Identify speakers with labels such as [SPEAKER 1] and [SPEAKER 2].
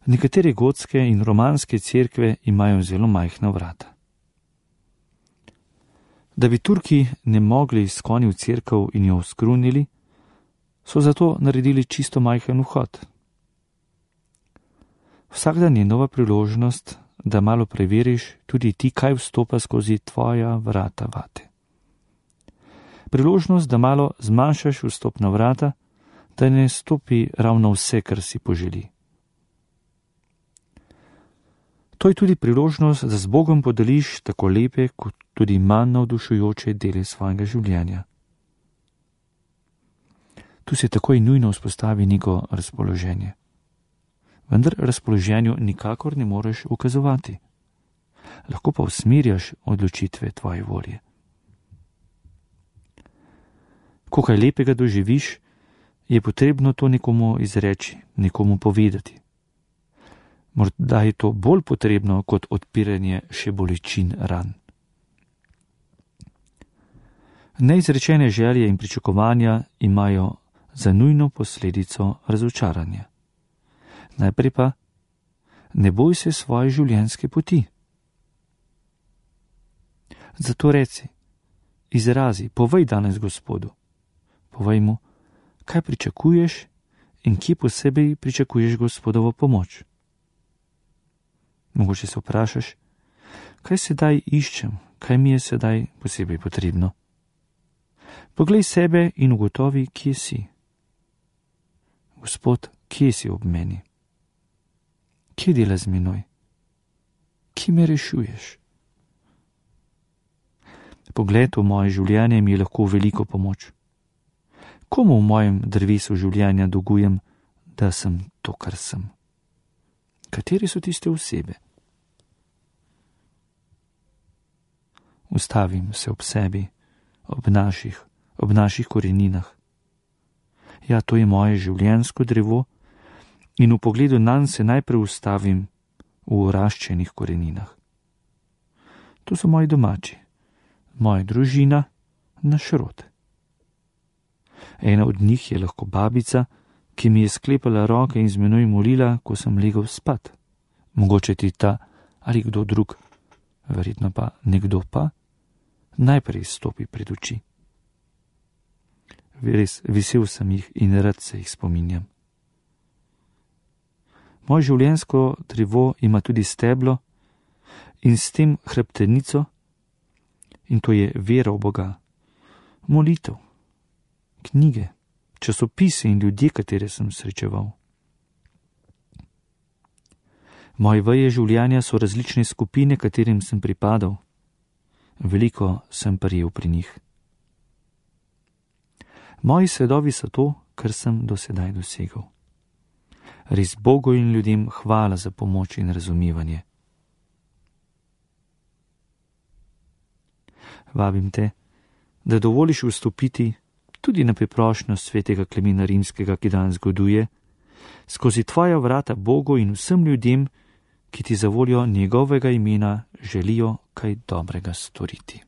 [SPEAKER 1] Nekatere gotske in romanske cerkve imajo zelo majhna vrata. Da bi Turki ne mogli skoni v cerkev in jo skrunili, so zato naredili čisto majhen vhod. Vsak dan je nova priložnost, da malo preveriš tudi ti, kaj vstopa skozi tvoja vrata vate. Priložnost, da malo zmanjšaš vstopna vrata, da ne stopi ravno vse, kar si poželi. To je tudi priložnost, da z Bogom podeliš tako lepe, kot tudi manj navdušujoče dele svojega življenja. Tu se takoj nujno vzpostavi neko razpoloženje. Vendar razpoloženju nikakor ne moreš ukazovati. Lahko pa usmerjaš odločitve tvoje volje. Ko kaj lepega doživiš, je potrebno to nekomu izreči, nekomu povedati. Morda je to bolj potrebno kot odpiranje še bolečin ran. Neizrečene želje in pričakovanja imajo za nujno posledico razočaranje. Najprej pa, ne boj se svoje življenjske poti. Zato reci, izrazi, povej danes Gospodu. Povej mu, kaj pričakuješ in kje posebej pričakuješ Gospodovo pomoč. Mogoče se vprašaš, kaj sedaj iščem, kaj mi je sedaj posebej potrebno. Poglej sebe in ugotovi, kje si. Gospod, kje si ob meni? Kje dela z menoj? Kje me rešuješ? Pogled v moje življenje mi je lahko veliko pomoč. Komu v mojem drevesu življenja dolgujem, da sem to, kar sem? Kateri so tiste osebe? Ustavim se ob sebi, ob naših koreninah. Ja, to je moje življenjsko drevo in v pogledu nanj se najprej ustavim v oraščenih koreninah. To so moji domači, moja družina, naš rod. Ena od njih je lahko babica, ki mi je sklepala roke in z menoj molila, ko sem legel spat. Mogoče ti ta ali kdo drug, verjetno pa nekdo pa, najprej stopi pred oči. Res vesel sem jih in rad se jih spominjam. Moje življenjsko drevo ima tudi steblo in s tem hrbtenico, in to je vera v Boga, molitev, knjige, časopise in ljudje, katere sem srečeval. Moje veje življenja so različne skupine, katerim sem pripadal. Veliko sem prijel pri njih. Moji sledovi so to, kar sem do sedaj dosegel. Res Bogu in ljudem hvala za pomoč in razumevanje. Vabim te, da dovoliš vstopiti tudi na priprošnjo svetega Klemena Rimskega, ki danes goduje, skozi tvoja vrata Bogu in vsem ljudem, ki ti za voljo njegovega imena želijo kaj dobrega storiti.